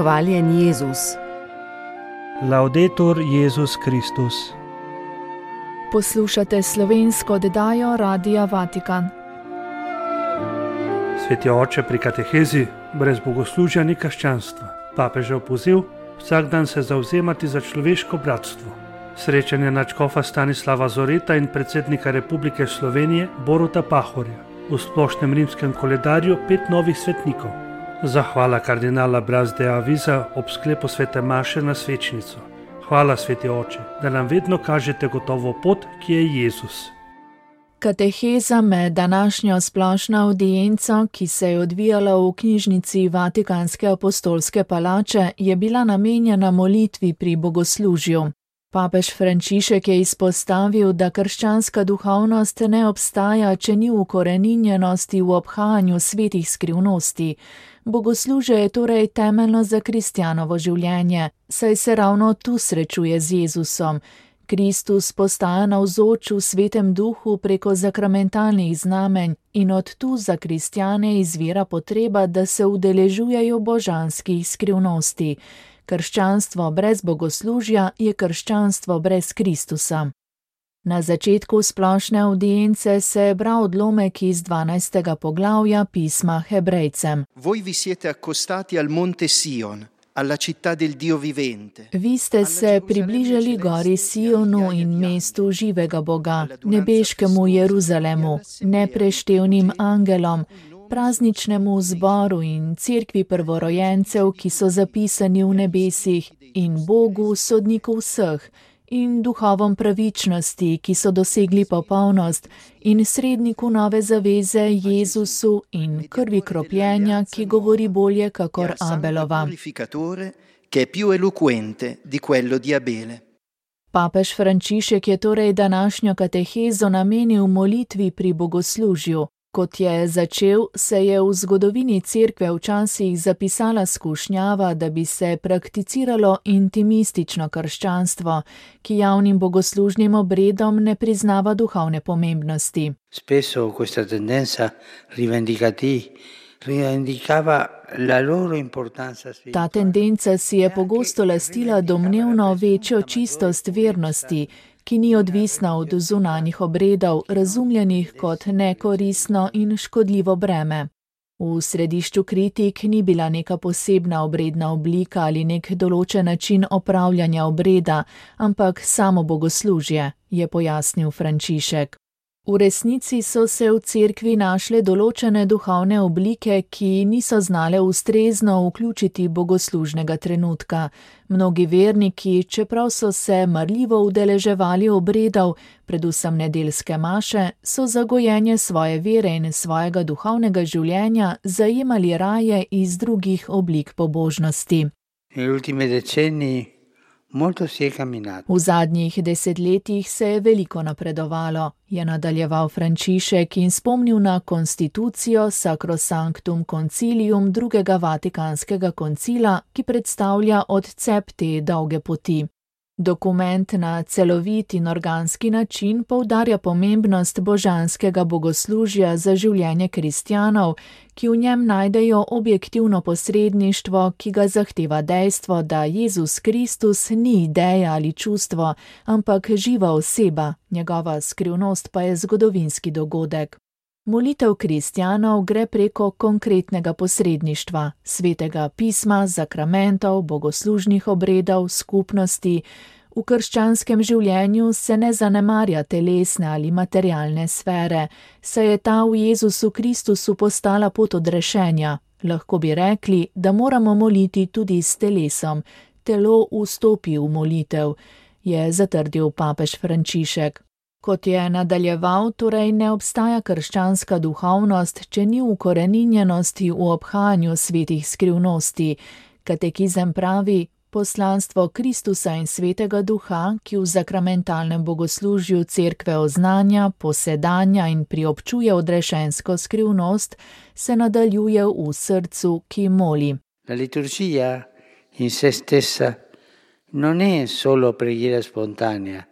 Hvaljen Jezus. Laudetur Jezus Kristus. Poslušate slovensko oddajo Radia Vatikan. Sveti oče, pri katehezi brez bogoslužja ni krščanstva. Papežev poziv: vsak dan se zavzemati za človeško bratstvo. Srečanje nadškofa Stanislava Zoreta in predsednika Republike Slovenije Boruta Pahorja. V splošnem rimskem koledarju 5 novih svetnikov. Zahvala kardinala Braz de Avisa ob sklepu svete maše na svečnico. Hvala, sveti oče, da nam vedno kažete gotovo pot, ki je Jezus. Kateheza med današnjo splošno avdienco, ki se je odvijala v knjižnici Vatikanske apostolske palače, je bila namenjena molitvi pri bogoslužju. Papež Frančišek je izpostavil, da krščanska duhovnost ne obstaja, če ni ukoreninjenosti v obhajanju svetih skrivnosti. Bogoslužje je torej temeljno za kristjanovo življenje, saj se ravno tu srečuje z Jezusom. Kristus postaja navzoč v svetem duhu preko sakramentalnih znamenj in od tu za kristjane izvira potreba, da se udeležujejo božanskih skrivnosti. Krščanstvo brez bogoslužja je krščanstvo brez Kristusa. Na začetku splošne avdience se je bral odlomek iz 12. poglavja pisma Hebrejcem. Voi vi siete accostati al monte Sion, alla città del Dio vivente. Vi ste se približali gori Sionu in mestu živega Boga, nebeškemu Jeruzalemu, nepreštevnim angelom, prazničnemu zboru in cerkvi prvorojencev, ki so zapisani v nebesih, in Bogu, sodniku vseh, in duhovom pravičnosti, ki so dosegli popolnost, in sredniku nove zaveze Jezusu in krvi kropljenja, ki govori bolje kakor Abelova. Papež Frančišek je torej današnjo katehezo namenil molitvi pri bogoslužju. Kot je začel, se je v zgodovini cerkve včasih zapisala skušnjava, da bi se prakticiralo intimistično krščanstvo, ki javnim bogoslužnim obredom ne priznava duhovne pomembnosti. Spesso questa tendenza rivendicava la loro importanza. Ta tendenca si je pogosto lastila domnevno večjo čistost vernosti, ki ni odvisna od zunanjih obredov, razumljenih kot nekoristno in škodljivo breme. V središču kritik ni bila neka posebna obredna oblika ali nek določen način opravljanja obreda, ampak samo bogoslužje, je pojasnil Frančišek. V resnici so se v cerkvi našle določene duhovne oblike, ki niso znale ustrezno vključiti bogoslužnega trenutka. Mnogi verniki, čeprav so se marljivo udeleževali obredov, predvsem nedeljske maše, so za gojenje svoje vere in svojega duhovnega življenja zajemali raje iz drugih oblik pobožnosti. V zadnjih desetletjih se je veliko napredovalo, je nadaljeval Frančišek in spomnil na konstitucijo Sacrosanctum Concilium drugega Vatikanskega koncila, ki predstavlja odcep te dolge poti. Dokument na celovit in organski način poudarja pomembnost božanskega bogoslužja za življenje kristjanov, ki v njem najdejo objektivno posredništvo, ki ga zahteva dejstvo, da Jezus Kristus ni ideja ali čustvo, ampak živa oseba, njegova skrivnost pa je zgodovinski dogodek. Molitev kristjanov gre preko konkretnega posredništva, svetega pisma, sakramentov, bogoslužnih obredov, skupnosti. V krščanskem življenju se ne zanemarja telesne ali materialne sfere, saj je ta v Jezusu Kristusu postala pot odrešenja. Lahko bi rekli, da moramo moliti tudi s telesom. Telo vstopi v molitev, je zatrdil papež Frančišek. Kot je nadaljeval, torej ne obstaja krščanska duhovnost, če ni ukoreninjenosti v obhajanju svetih skrivnosti. Katekizem pravi: poslanstvo Kristusa in svetega duha, ki v sakramentalnem bogoslužju cerkve oznanja, posedanja in priobčuje odrešensko skrivnost, se nadaljuje v srcu, ki moli. La liturgia in se stessa non è solo preghiera spontanea,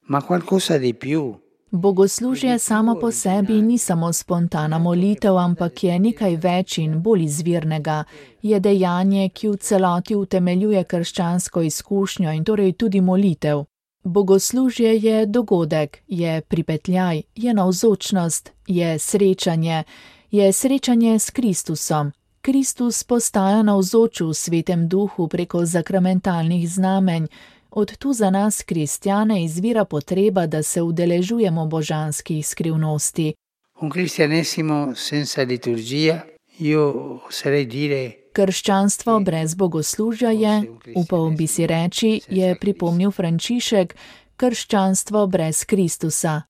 ma qualcosa di più. Bogoslužje samo po sebi ni samo spontana molitev, ampak je nekaj več in bolj izvirnega. Je dejanje, ki v celoti utemeljuje krščansko izkušnjo in torej tudi molitev. Bogoslužje je dogodek, je pripetljaj, je navzočnost, je srečanje s Kristusom. Kristus postaja navzoč v Svetem Duhu preko sakramentalnih znamenj. Od tu za nas, kristjane, izvira potreba, da se udeležujemo božanskih skrivnosti. Krščanstvo brez bogoslužja je, upal bi si reči, je pripomnil Frančišek, krščanstvo brez Kristusa.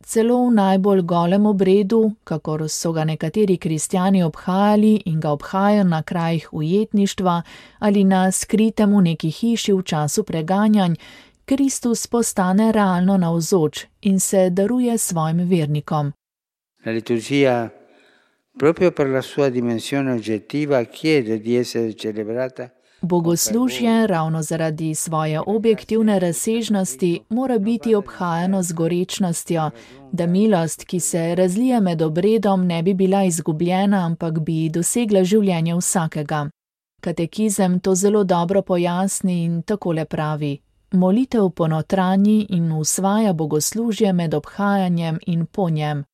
Celo v najbolj golem obredu, kakor so ga nekateri kristjani obhajali in ga obhajajo na krajih ujetništva ali na skritem v neki hiši v času preganjanj, Kristus postane realno navzoč in se daruje svojim vernikom. La liturgia, proprio per la sua dimensione oggettiva, chiede di essere celebrata. Bogoslužje, ravno zaradi svoje objektivne razsežnosti, mora biti obhajano z gorečnostjo, da milost, ki se razlije med obredom, ne bi bila izgubljena, ampak bi dosegla življenje vsakega. Katekizem to zelo dobro pojasni in takole pravi: molitev ponotranji in usvaja bogoslužje med obhajanjem in po njem.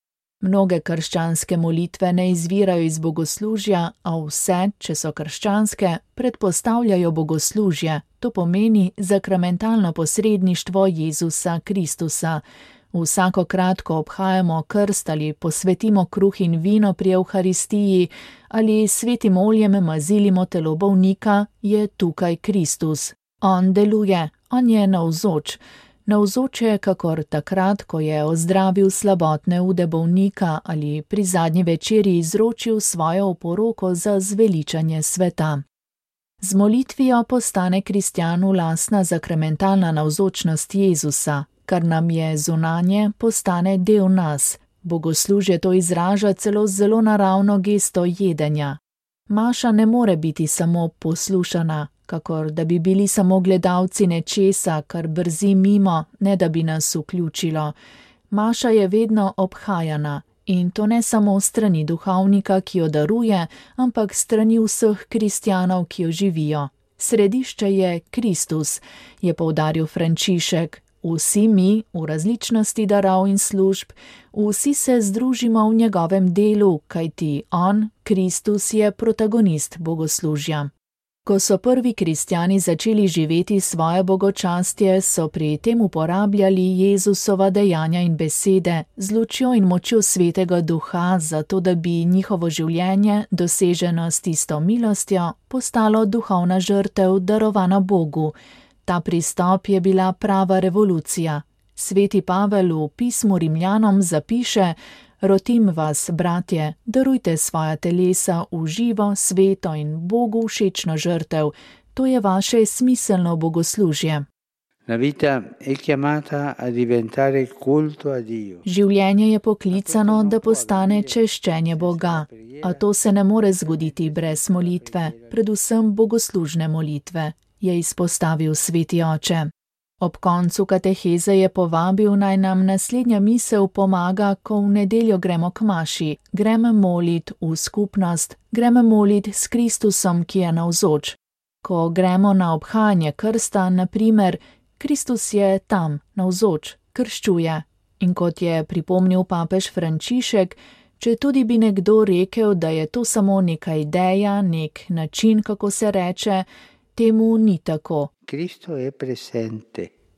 Mnoge krščanske molitve ne izvirajo iz bogoslužja, a vse, če so krščanske, predpostavljajo bogoslužje, to pomeni sakramentalno posredništvo Jezusa Kristusa. Vsakokrat, ko obhajamo krst ali posvetimo kruh in vino pri Evharistiji ali svetim oljem mazilimo telo bolnika, je tukaj Kristus. On deluje, on je navzoč. Navzoč je kakor takrat, ko je ozdravil slabotne ude bolnika ali pri zadnji večeri izročil svojo oporoko za zveličanje sveta. Z molitvijo postane kristjanu lastna sakramentalna navzočnost Jezusa, kar nam je zunanje, postane del nas. Bogoslužje to izraža celo z zelo naravno gesto jedenja. Maša ne more biti samo poslušana, kakor da bi bili samo gledalci nečesa, kar brzi mimo, ne da bi nas vključilo. Maša je vedno obhajana in to ne samo strani duhovnika, ki jo daruje, ampak strani vseh kristjanov, ki jo živijo. Središče je Kristus, je poudaril Frančišek. Vsi mi, v različnosti darov in služb, vsi se združimo v njegovem delu, kajti on, Kristus, je protagonist bogoslužja. Ko so prvi kristjani začeli živeti svoje bogočastje, so pri tem uporabljali Jezusova dejanja in besede z lučjo in močjo Svetega Duha, zato da bi njihovo življenje, doseženo s tisto milostjo, postalo duhovna žrtev, darovana Bogu. Ta pristop je bila prava revolucija. Sveti Pavel v pismu Rimljanom zapiše: rotim vas, bratje, darujte svoja telesa v živo, sveto in Bogu všečno žrtev. To je vaše smiselno bogoslužje. Življenje je poklicano, da postane češčenje Boga, a to se ne more zgoditi brez molitve, predvsem bogoslužne molitve, je izpostavil sveti oče. Ob koncu kateheze je povabil, naj nam naslednja misel pomaga, ko v nedeljo gremo k maši. Gremo molit v skupnost, gremo molit s Kristusom, ki je navzoč. Ko gremo na obhajanje krsta, na primer, Kristus je tam, navzoč, krščuje. In kot je pripomnil papež Frančišek, če tudi bi nekdo rekel, da je to samo neka ideja, nek način, kako se reče, temu ni tako.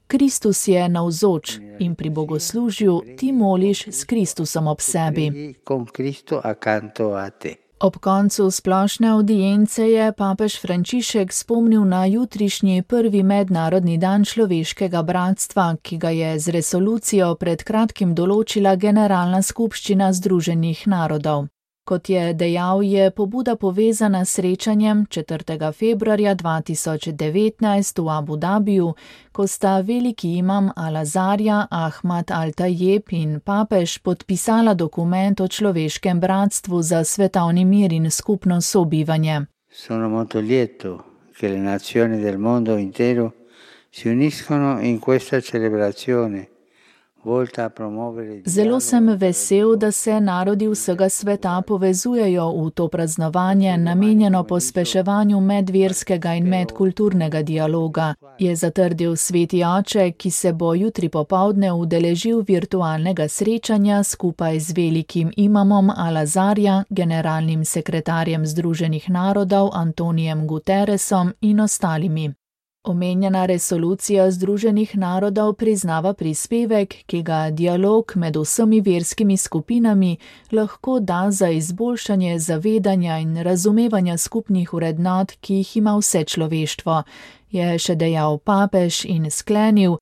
Kristus je navzoč in pri bogoslužju ti moliš s Kristusom ob sebi. Ob koncu splošne avdience je papež Frančišek spomnil na jutrišnji prvi mednarodni dan človeškega bratstva, ki ga je z resolucijo pred kratkim določila Generalna skupščina Združenih narodov. Kot je dejal, je pobuda povezana s srečanjem 4. februarja 2019 v Abu Dabiju, ko sta veliki imam Al-Azharja Ahmad Al-Tajeb in papež podpisala dokument o človeškem bratstvu za svetovni mir in skupno sobivanje. Sono molto lieto che le nazioni del mondo intero si uniscono in questa celebrazione, Zelo sem vesel, da se narodi vsega sveta povezujejo v to praznovanje, namenjeno pospeševanju medverskega in medkulturnega dialoga, je zatrdil sveti oče, ki se bo jutri popoldne udeležil virtualnega srečanja skupaj z velikim imamom Al-Azharja, generalnim sekretarjem Združenih narodov Antonijem Guterresom in ostalimi. Omenjena resolucija Združenih narodov priznava prispevek, ki ga dialog med vsemi verskimi skupinami lahko da za izboljšanje zavedanja in razumevanja skupnih vrednot, ki jih ima vse človeštvo, je še dejal papež in sklenil: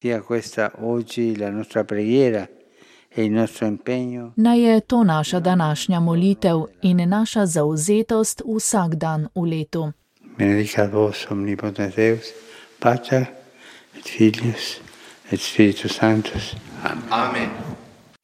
Naj je to naša današnja molitev in naša zavzetost vsak dan v letu. Benedicat vos omnipotens Deus, Pater et Filius et Spiritus Sanctus. Amen.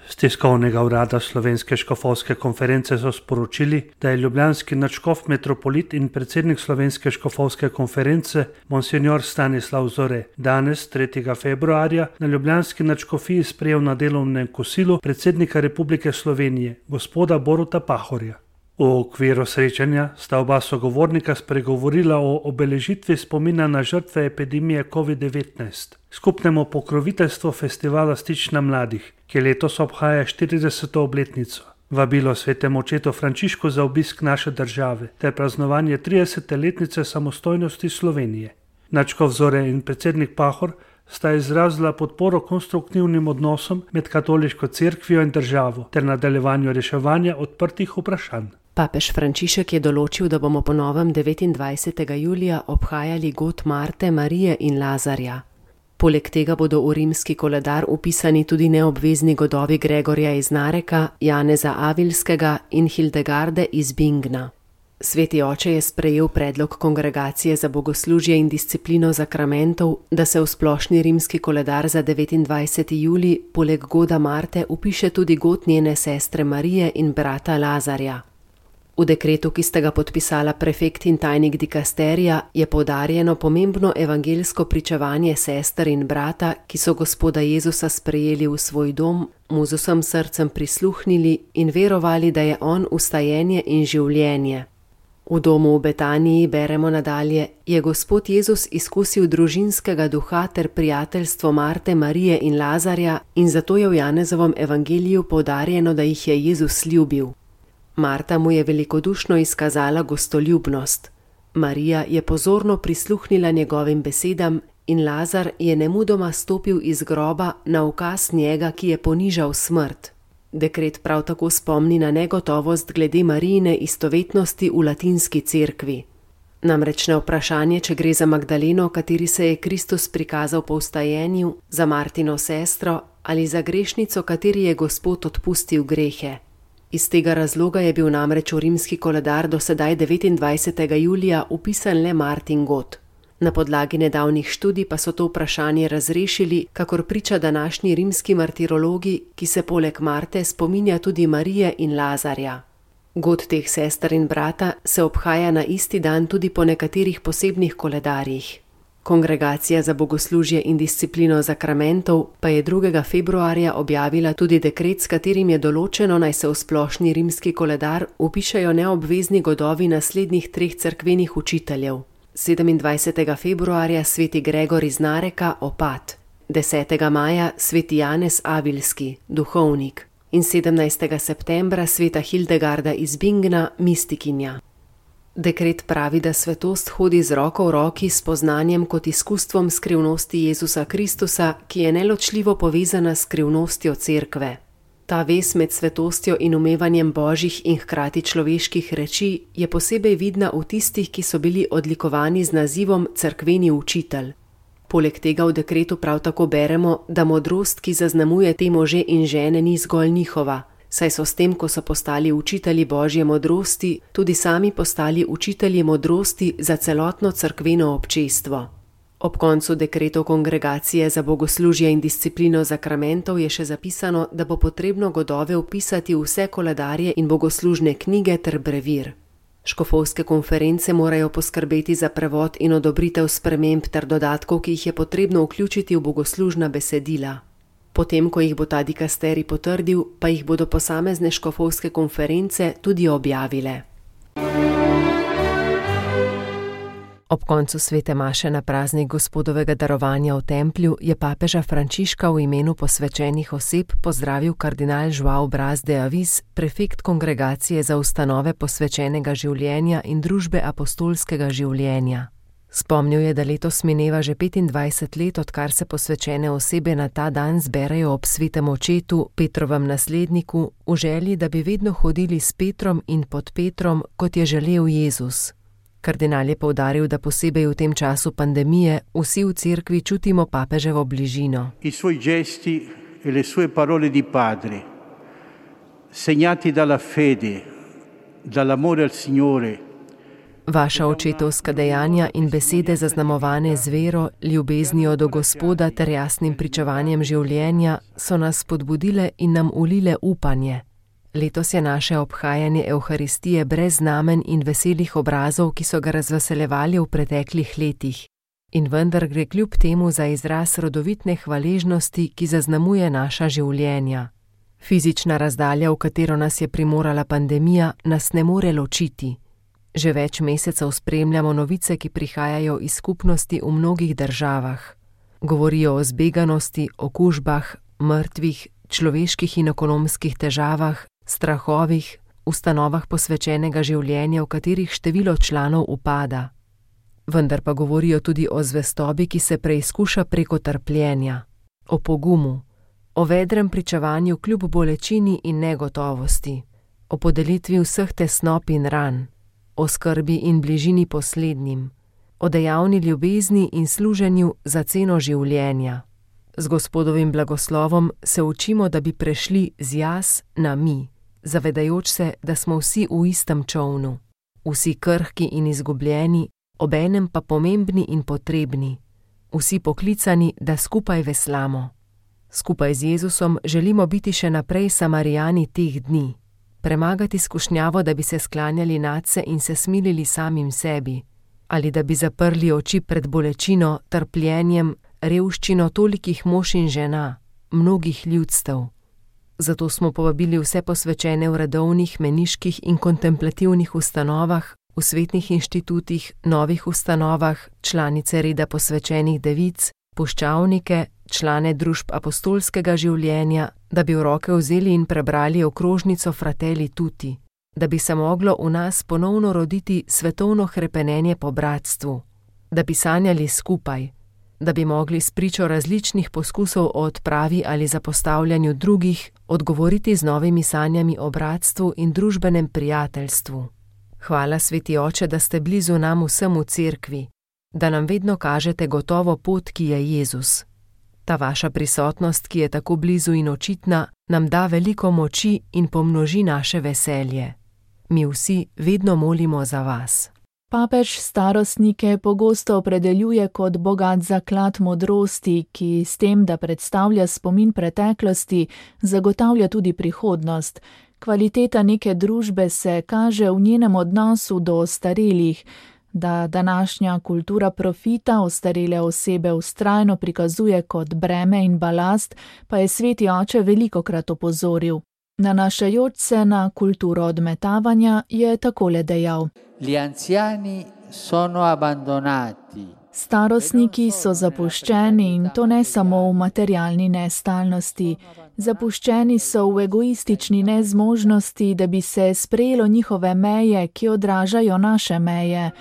Z tiskovnega urada Slovenske škofovske konference so sporočili, da je ljubljanski nadškof metropolit in predsednik Slovenske škofovske konference monsignor Stanislav Zore danes, 3. februarja, na ljubljanski nadškofiji sprejel na delovnem kosilu predsednika Republike Slovenije, gospoda Boruta Pahorja. V okviru srečanja sta oba sogovornika spregovorila o obeležitvi spomina na žrtve epidemije COVID-19, skupnemu pokroviteljstvu festivala Stična mladih, ki letos obhaja 40. obletnico, vabilo svetemu očetu Frančišku za obisk naše države ter praznovanje 30. letnice samostojnosti Slovenije. Nadškof Zore in predsednik Pahor sta izrazila podporo konstruktivnim odnosom med katoliško cerkvijo in državo ter nadaljevanju reševanja odprtih vprašanj. Papež Frančišek je določil, da bomo po novem 29. julija obhajali god Marte, Marije in Lazarja. Poleg tega bodo v rimski koledar upisani tudi neobvezni godovi Gregorja iz Nareka, Janeza Avilskega in Hildegarde iz Bingna. Sveti oče je sprejel predlog Kongregacije za bogoslužje in disciplino zakramentov, da se v splošni rimski koledar za 29. julij poleg goda Marte upiše tudi god njene sestre Marije in brata Lazarja. V dekretu, ki sta ga podpisala prefekt in tajnik dikasterija, je poudarjeno pomembno evangelsko pričevanje sester in brata, ki so Gospoda Jezusa sprejeli v svoj dom, mu z vsem srcem prisluhnili in verovali, da je on vstajenje in življenje. V domu v Betaniji, beremo nadalje, je Gospod Jezus izkusil družinskega duha ter prijateljstvo Marte, Marije in Lazarja in zato je v Janezovom evangeliju poudarjeno, da jih je Jezus ljubil. Marta mu je velikodušno izkazala gostoljubnost. Marija je pozorno prisluhnila njegovim besedam in Lazar je nemudoma stopil iz groba na ukaz njega, ki je ponižal smrt. Dekret prav tako spomni na negotovost glede Marijine istovetnosti v latinski cerkvi. Namreč na vprašanje, če gre za Magdaleno, kateri se je Kristus prikazal po vstajenju, za Martino sestro ali za grešnico, kateri je Gospod odpustil grehe. Iz tega razloga je bil namreč v rimski koledar do sedaj 29. julija upisan le Martin god. Na podlagi nedavnih študij pa so to vprašanje razrešili, kakor priča današnji rimski martirologi, ki se poleg Marte spominja tudi Marije in Lazarja. God teh sester in brata se obhaja na isti dan tudi po nekaterih posebnih koledarjih. Kongregacija za bogoslužje in disciplino zakramentov pa je 2. februarja objavila tudi dekret, s katerim je določeno, naj se v splošni rimski koledar upišejo neobvezni godovi naslednjih 3 cerkvenih učiteljev. 27. februarja sveti Gregor iz Nareka, opat, 10. maja sveti Janez Avilski, duhovnik in 17. septembra sveta Hildegarda iz Bingna, mistikinja. Dekret pravi, da svetost hodi z roko v roki s poznanjem kot izkustvom skrivnosti Jezusa Kristusa, ki je neločljivo povezana s skrivnostjo cerkve. Ta vez med svetostjo in umevanjem božjih in hkrati človeških reči je posebej vidna v tistih, ki so bili odlikovani z nazivom cerkveni učitelj. Poleg tega v dekretu prav tako beremo, da modrost, ki zaznamuje te može in žene, ni zgolj njihova, saj so s tem, ko so postali učitelji božje modrosti, tudi sami postali učitelji modrosti za celotno cerkveno občestvo. Ob koncu dekretov Kongregacije za bogoslužje in disciplino zakramentov je še zapisano, da bo potrebno godove vpisati v vse koledarje in bogoslužne knjige ter brevir. Škofovske konference morajo poskrbeti za prevod in odobritev sprememb ter dodatkov, ki jih je potrebno vključiti v bogoslužna besedila. Potem, ko jih bo ta dikasterij potrdil, pa jih bodo posamezne škofovske konference tudi objavile. Ob koncu svete maše na praznik Gospodovega darovanja v templju je papeža Frančiška v imenu posvečenih oseb pozdravil kardinal João Braz de Avis, prefekt kongregacije za ustanove posvečenega življenja in družbe apostolskega življenja. Spomnil je, da letos mineva že 25 let, odkar se posvečene osebe na ta dan zberejo ob svetem očetu, Petrovem nasledniku, v želji, da bi vedno hodili s Petrom in pod Petrom, kot je želel Jezus. Kardinal je poudaril, da posebej v tem času pandemije vsi v cerkvi čutimo papeževo bližino. I suoi gesti e le sue parole di padre, segnati dalla fede, dall'amore al Signore. Vaša očetovska dejanja in besede zaznamovane z vero, ljubeznijo do Gospoda ter jasnim pričevanjem življenja so nas spodbudile in nam ulile upanje. Letos je naše obhajanje Evharistije brez znamen in veselih obrazov, ki so ga razveseljevali v preteklih letih. In vendar gre kljub temu za izraz rodovitne hvaležnosti, ki zaznamuje naša življenja. Fizična razdalja, v katero nas je primorala pandemija, nas ne more ločiti. Že več mesecev spremljamo novice, ki prihajajo iz skupnosti v mnogih državah. Govorijo o zbeganosti, okužbah, mrtvih, človeških in ekonomskih težavah, strahovih, ustanovah posvečenega življenja, v katerih število članov upada. Vendar pa govorijo tudi o zvestobi, ki se preizkuša preko trpljenja, o pogumu, o vedrem pričevanju kljub bolečini in negotovosti, o podelitvi vseh tesnob in ran, o skrbi in bližini poslednjim, o dejavni ljubezni in služenju za ceno življenja. Z Gospodovim blagoslovom se učimo, da bi prešli z jaz na mi, zavedajoč se, da smo vsi v istem čolnu, vsi krhki in izgubljeni, obenem pa pomembni in potrebni, vsi poklicani, da skupaj veslamo. Skupaj z Jezusom želimo biti še naprej Samarijani teh dni, premagati skušnjavo, da bi se sklanjali nadse in se smilili samim sebi, ali da bi zaprli oči pred bolečino, trpljenjem, revščino tolikih mož in žena, mnogih ljudstev. Zato smo povabili vse posvečene v redovnih, meniških in kontemplativnih ustanovah, v svetnih inštitutih, novih ustanovah, članice reda posvečenih devic, puščavnike, člane družb apostolskega življenja, da bi v roke vzeli in prebrali okrožnico Fratelli Tutti, da bi se moglo v nas ponovno roditi svetovno hrepenenje po bratstvu, da bi sanjali skupaj, da bi mogli spričo različnih poskusov o odpravi ali zapostavljanju drugih odgovoriti z novimi sanjami o bratstvu in družbenem prijateljstvu. Hvala, Sveti Oče, da ste blizu nam vsem v cerkvi, da nam vedno kažete gotovo pot, ki je Jezus. Ta vaša prisotnost, ki je tako blizu in očitna, nam da veliko moči in pomnoži naše veselje. Mi vsi vedno molimo za vas. Papež starostnike pogosto opredeljuje kot bogat zaklad modrosti, ki s tem, da predstavlja spomin preteklosti, zagotavlja tudi prihodnost. Kvaliteta neke družbe se kaže v njenem odnosu do ostarelih. Da današnja kultura profita ostarele osebe vztrajno prikazuje kot breme in balast, pa je Sveti Oče velikokrat opozoril. Nanašajoč se na kulturo odmetavanja je takole dejal. Gli anziani sono abbandonati. Starostniki so zapuščeni in to ne samo v materialni nestalnosti. Zapuščeni so v egoistični nezmožnosti, da bi se sprejelo njihove meje, ki odražajo naše meje.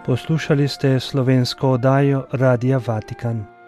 Poslušali ste slovensko oddajo Radia Vatikan.